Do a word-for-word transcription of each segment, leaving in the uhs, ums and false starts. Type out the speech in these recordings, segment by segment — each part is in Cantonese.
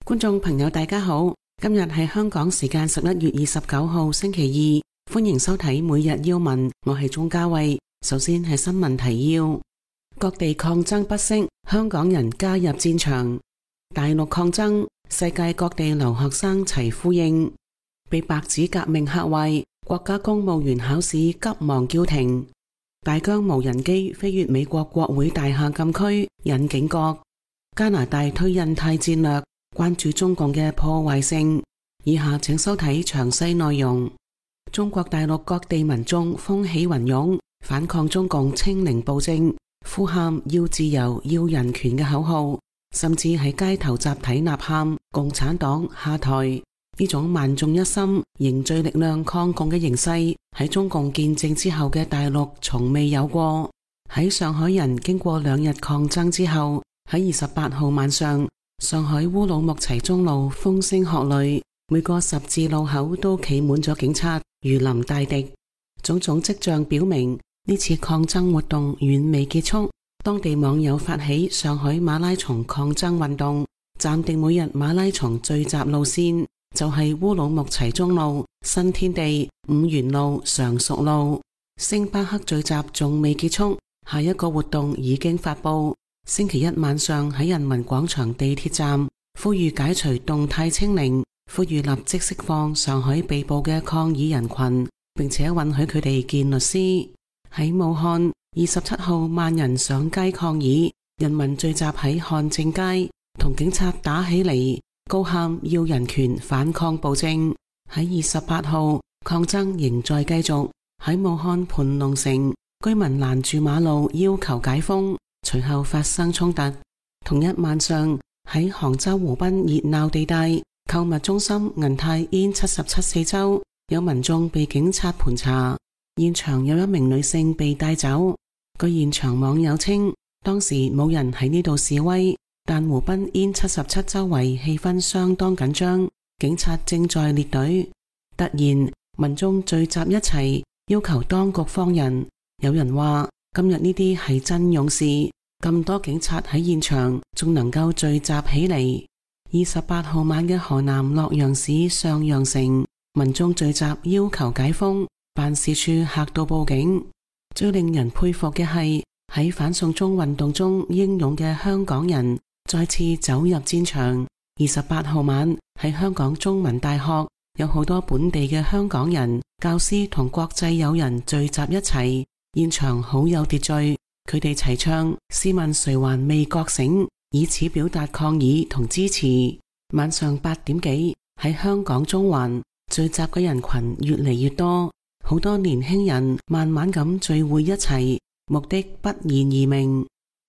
觀眾朋友大家好，今日係香港時間十一月二十九號星期二，歡迎收睇每日要聞，我係鍾嘉慧。首先係新聞提要：各地抗爭不息，香港人加入戰場；大陸抗爭，世界各地留學生齊呼應；被白紙革命嚇壞，國家公務員考試急忙叫停；大疆無人機飛越美國國會大廈禁區引警覺；加拿大推印太戰略，關注中共嘅破壞性。以下請收睇詳細內容。中國大陸各地民眾風起雲湧，反抗中共清零暴政，呼喊要自由、要人權嘅口號，甚至喺街頭集體吶喊共產黨下台。呢種萬眾一心、凝聚力量抗共嘅形勢，喺中共建政之後嘅大陸從未有過。喺上海人經過兩日抗爭之後，喺二十八號晚上，上海烏魯木齊中路風聲鶴唳，每個十字路口都企滿咗警察，如臨大敵。種種跡象表明，呢次抗爭活動遠未結束。當地網友發起上海馬拉松抗爭運動，暫定每日馬拉松聚集路線就係烏魯木齊中路、新天地、五原路、常熟路。星巴克聚集仲未結束，下一個活動已經發佈。星期一晚上喺人民廣場地鐵站，呼籲解除動態清零，呼籲立即釋放上海被捕嘅抗議人群，並且允許佢哋見律師。喺武漢，二十七號萬人上街抗議，人民聚集喺漢正街，同警察打起嚟，高喊要人權、反抗暴政。喺二十八號，抗爭仍在繼續，喺武漢盤龍城，居民攔住馬路要求解封。隨後發生衝突。同一晚上喺杭州湖濱熱鬧地帶購物中心銀泰 N 七十七四周，有民眾被警察盤查，現場有一名女性被帶走。據現場網友稱，當時冇人喺呢度示威，但湖濱 N 七十七周圍氣氛相當緊張，警察正在列隊。突然民眾聚集一齊要求當局放人，有人話今日呢啲係真勇士，咁多警察喺現場仲能夠聚集起嚟。二十八號晚嘅河南洛陽市上陽城，民眾聚集要求解封，辦事處嚇到報警。最令人佩服嘅係喺反送中運動中英勇嘅香港人再次走入戰場。二十八號晚喺香港中文大學，有好多本地嘅香港人、教師同國際友人聚集一齊。現場好有秩序，佢哋齊唱試問誰還未覺醒，以此表達抗議同支持。晚上八點幾喺香港中環聚集嘅人群越嚟越多，好多年輕人慢慢咁聚會一齊，目的不言而明。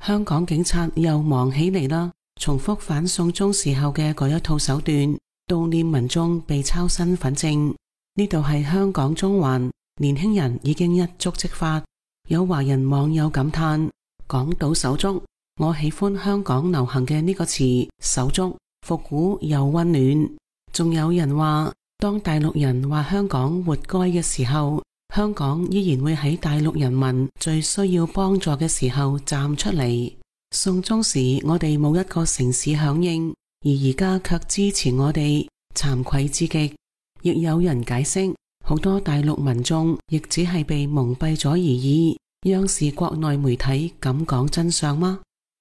香港警察又忙起嚟啦，重複反送中時候嘅嗰一套手段，悼念民眾被抄身份證。呢度係香港中環，年輕人已經一觸即發。有華人網友感嘆：港島手足，我喜歡香港流行嘅呢個詞，手足復古又溫暖。仲有人話，當大陸人話香港活該嘅時候，香港依然會喺大陸人民最需要幫助嘅時候站出嚟。送中時我哋冇一個城市響應，而而家卻支持我哋，慚愧之極。亦有人解釋，好多大陸民眾亦只係被蒙蔽咗而已。央視國內媒體敢講真相嗎？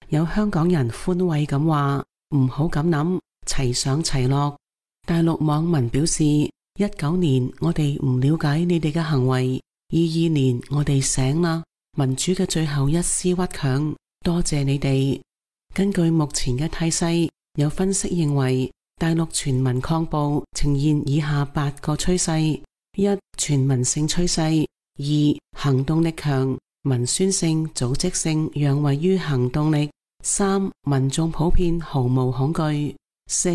有香港人寬慰咁話：唔好咁諗，齊上齊落。大陸網民表示：一九年我哋唔了解你哋嘅行為，二二年我哋醒啦，民主嘅最後一絲屈強，多謝你哋。根據目前嘅態勢，有分析認為，大陸全民抗暴呈現以下八個趨勢：一、全民性趨勢；二、行動力強，文宣性、組織性讓位於行動力；三、民眾普遍毫無恐懼；四、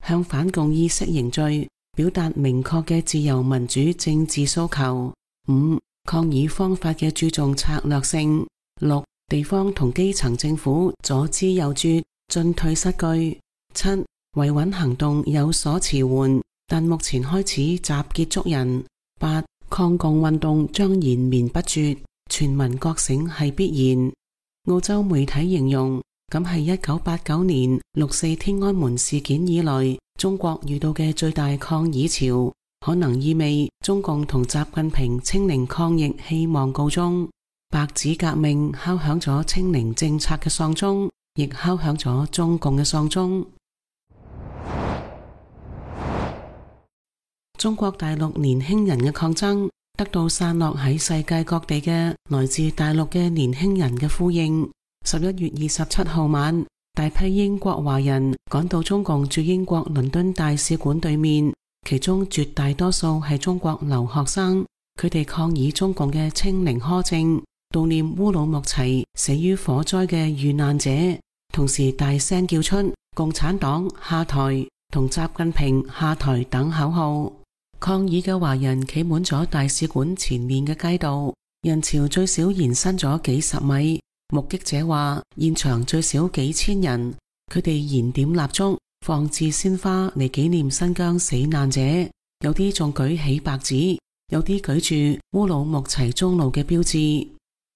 向反共意識凝聚，表達明確嘅自由民主政治訴求；五、抗議方法嘅注重策略性；六、地方同基層政府左支右絀，進退失據；七、維穩行動有所遲緩，但目前開始集結捉人；八、抗共運動將延綿不絕，全民覺醒係必然。澳洲媒體形容咁係一九八九年六四天安門事件以來，中國遇到嘅最大抗議潮，可能意味中共同習近平清零抗疫希望告終。白紙革命敲響咗清零政策嘅喪鐘，亦敲響咗中共嘅喪鐘。中國大陸年輕人嘅抗爭得到散落喺世界各地嘅來自大陸嘅年輕人嘅呼應。十一月二十七號晚，大批英國華人趕到中共駐英國倫敦大使館對面，其中絕大多數係中國留學生，佢哋抗議中共嘅清零苛政，悼念烏魯木齊死於火災嘅遇難者，同時大聲叫出共產黨下台同習近平下台等口號。抗議嘅華人企滿咗大使館前面嘅街道，人潮最少延伸咗幾十米。目擊者話，現場最少幾千人，佢哋燃點蠟燭、放置鮮花嚟紀念新疆死難者，有啲仲舉起白紙，有啲舉住烏魯木齊中路嘅標誌。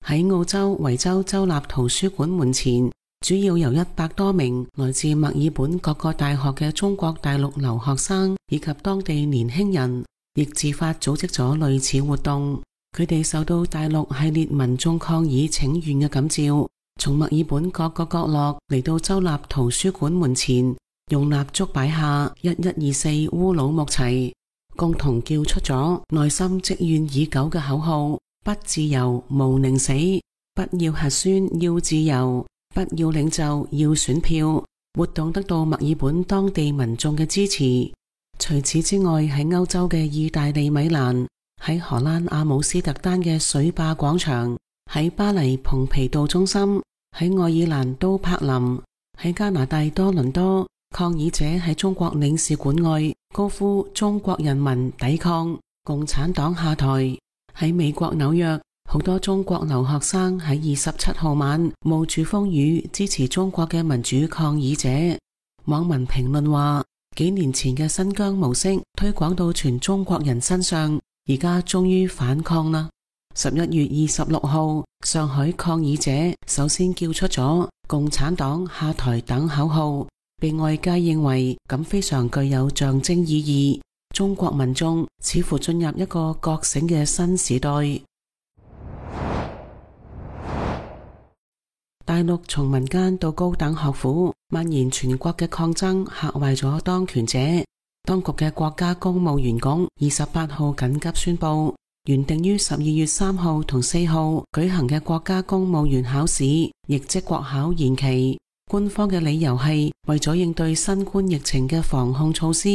喺澳洲維州州立圖書館門前，主要由一百多名來自墨爾本各個大學嘅中國大陸留學生以及當地年輕人，亦自發組織咗類似活動。佢哋受到大陸系列民眾抗議請願嘅感召，從墨爾本各個角落嚟到州立圖書館門前，用蠟燭擺下一一二四烏魯木齊，共同叫出咗內心積怨已久嘅口號：不自由無寧死，不要核酸要自由，不要領袖要選票。活動得到墨爾本當地民眾嘅支持。除此之外，喺歐洲嘅意大利米蘭，喺荷蘭阿姆斯特丹嘅水壩廣場，喺巴黎蓬皮杜中心，喺愛爾蘭都柏林，喺加拿大多倫多，抗議者喺中國領事館外高呼中國人民抵抗，共產黨下台。喺美國紐約，好多中國留學生喺二十七號晚冒住風雨支持中國嘅民主抗議者。網民評論話，幾年前嘅新疆模式推廣到全中國人身上，而家終於反抗啦！十一月二十六號，上海抗議者首先叫出咗共產黨下台等口號，被外界認為咁非常具有象徵意義。中國民眾似乎進入一個覺醒嘅新時代。大陸從民間到高等學府蔓延全國嘅抗爭嚇壞咗當權者。當局嘅國家公務員局二十八號緊急宣布，原定於十二月三號同四號舉行嘅國家公務員考試，亦即國考延期。官方嘅理由係為咗應對新冠疫情嘅防控措施，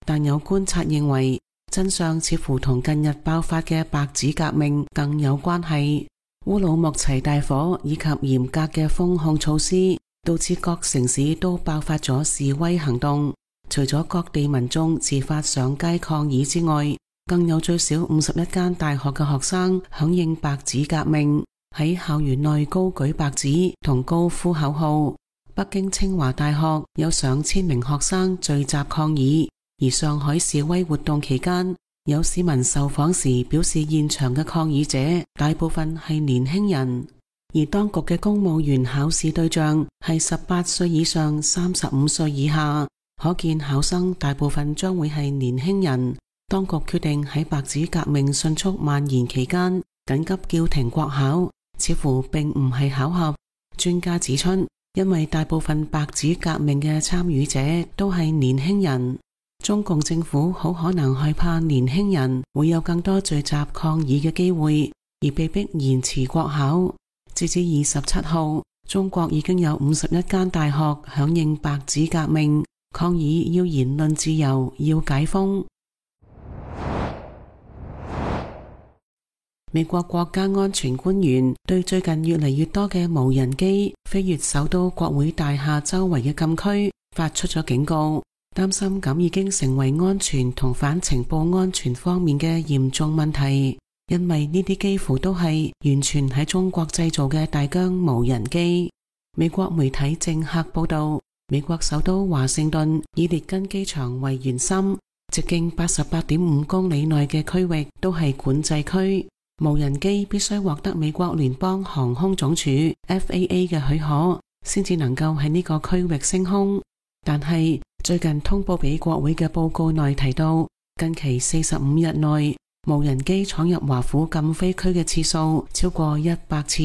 但有觀察認為真相似乎同近日爆發嘅白紙革命更有關係。烏魯木齊大火以及嚴格嘅封控措施，導致各城市都爆發咗示威行動。除咗各地民眾自發上街抗議之外，更有最少五十一間大學嘅學生響應白紙革命，喺校園內高舉白紙同高呼口號。北京清華大學有上千名學生聚集抗議，而上海示威活動期間，有市民受訪時表示，現場嘅抗議者大部分係年輕人，而當局嘅公務員考試對象係十八歲以上、三十五歲以下。可見考生大部分將會係年輕人。當局決定喺白紙革命迅速蔓延期間緊急叫停國考，似乎並唔係巧合。專家指出，因為大部分白紙革命嘅參與者都係年輕人，中共政府好可能害怕年輕人會有更多聚集抗議嘅機會，而被迫延遲國考。截至二十七號，中國已經有五十一間大學響應白紙革命，抗議要言論自由，要解封。美國國家安全官員對最近越嚟越多嘅無人機飛越首都國會大廈周圍嘅禁區發出咗警告，擔心咁已經成為安全同反情報安全方面嘅嚴重問題，因為呢啲幾乎都係完全喺中國製造嘅大疆無人機。美國媒體政客報道，美國首都華盛頓以列根機場為圓心，直徑八十八點五公里內嘅區域都係管制區。無人機必須獲得美國聯邦航空總署 F A A 嘅許可，先至能夠喺呢個區域升空。但係最近通報俾國會嘅報告內提到，近期四十五日內無人機闖入華府禁飛區嘅次數超過一百次。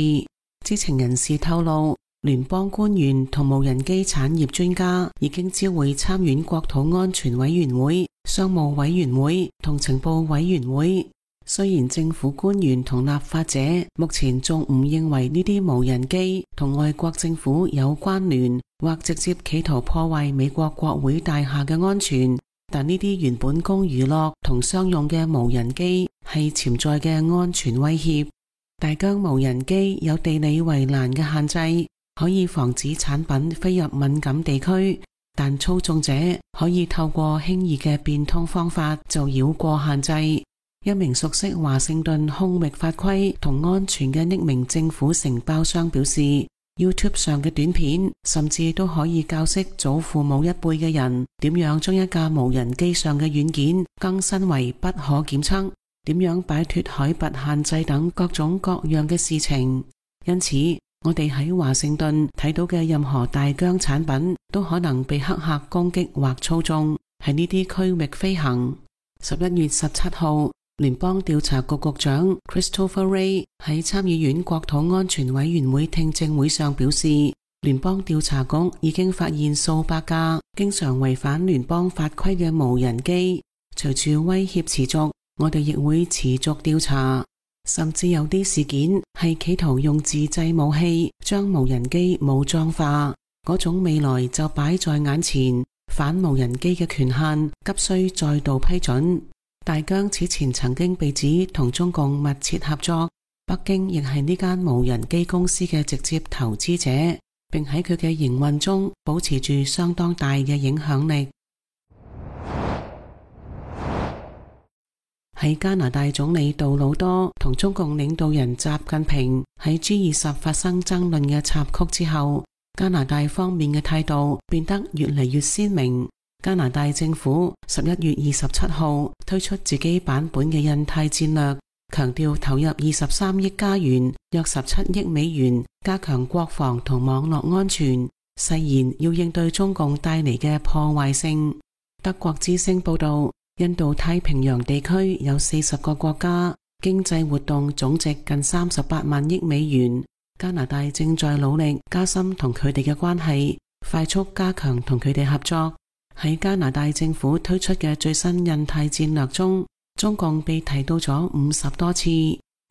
知情人士透露，聯邦官員同無人機產業專家已經知會參院國土安全委員會、商務委員會同情報委員會。雖然政府官員同立法者目前仲唔認為呢啲無人機同外國政府有關聯或直接企圖破壞美國國會大廈嘅安全，但呢啲原本供娛樂同商用嘅無人機係潛在嘅安全威脅。大疆無人機有地理圍欄嘅限制，可以防止產品飛入敏感地區，但操縱者可以透過輕易嘅變通方法就繞過限制。一名熟悉華盛頓空域法規同安全嘅匿名政府承包商表示， YouTube 上嘅短片甚至都可以教識祖父母一輩嘅人點樣將一架無人機上嘅軟件更新為不可檢測，點樣擺脫海拔限制等各種各樣嘅事情。因此我哋喺華盛頓睇到嘅任何大疆產品都可能被黑客攻擊或操縱，喺呢啲區域飛行。十一月十七號，聯邦調查局局長 Christopher Wray 喺參議院國土安全委員會聽證會上表示，聯邦調查局已經發現數百架經常違反聯邦法規嘅無人機。隨住威脅持續，我哋亦會持續調查，甚至有啲事件係企圖用自製武器將無人機武裝化，嗰種未來就擺在眼前。反無人機嘅權限急需再度批准。大疆此前曾經被指同中共密切合作，北京亦係呢間無人機公司嘅直接投資者，並喺佢嘅營運中保持住相當大嘅影響力。喺加拿大總理杜魯多同中共領導人習近平喺 G 二十發生爭論嘅插曲之後，加拿大方面嘅態度變得越嚟越鮮明。加拿大政府十一月二十七號推出自己版本嘅印太戰略，強調投入二十三億加元，約十七億美元，加強國防同網絡安全，誓言要應對中共帶嚟嘅破壞性。德國之聲報道，印度太平洋地區有四十個國家，經濟活動總值近三十八萬億美元。加拿大正在努力加深同佢哋嘅關係，快速加強同佢哋合作。喺加拿大政府推出嘅最新印太戰略中，中共被提到咗五十多次，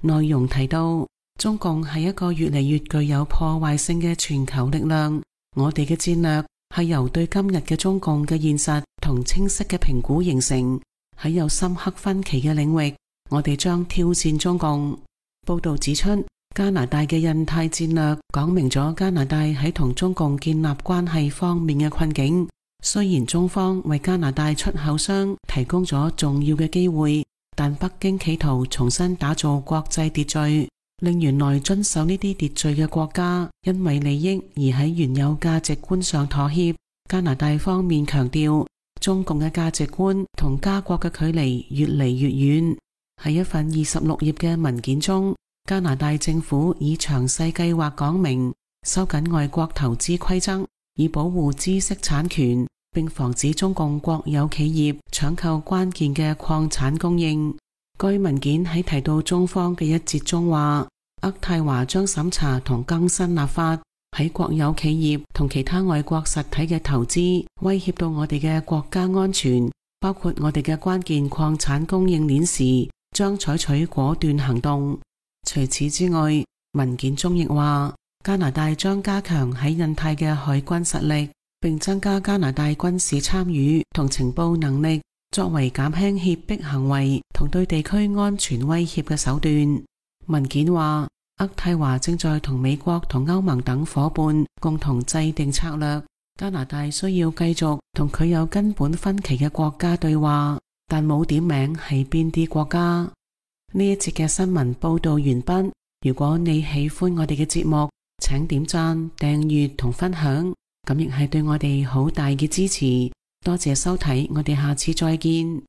內容提到中共係一個越嚟越具有破壞性嘅全球力量。我哋嘅戰略係由對今日嘅中共嘅現實同清晰嘅評估形成。喺有深刻分歧嘅領域，我哋將挑戰中共。報道指出，加拿大嘅印太戰略講明咗加拿大喺同中共建立關係方面嘅困境。雖然中方為加拿大出口商提供咗重要嘅機會，但北京企圖重新打造國際秩序，令原來遵守呢啲秩序嘅國家因為利益而喺原有價值觀上妥協。加拿大方面強調，中共嘅價值觀同加國嘅距離越嚟越遠。喺一份二十六頁嘅文件中，加拿大政府以詳細計劃講明收緊外國投資規則，以保護知識產權，並防止中共國有企業搶購關鍵嘅礦產供應。該文件喺提到中方嘅一節中話，渥太華將審查同更新立法，喺國有企業同其他外國實體嘅投資威脅到我哋嘅國家安全，包括我哋嘅關鍵礦產供應鏈時，將採取果斷行動。除此之外，文件中亦話，加拿大將加強喺印太嘅海軍實力，並增加加拿大軍事參與同情報能力，作為減輕脅迫行為同對地區安全威脅嘅手段。文件話，渥太華正在同美國同歐盟等夥伴共同制定策略，加拿大需要繼續同佢有根本分歧嘅國家對話，但冇點名係邊啲國家。呢一節嘅新聞報道完畢。如果你喜歡我哋嘅節目，請點讚、訂閱同分享，咁亦係對我哋好大嘅支持。多謝收睇，我哋下次再見。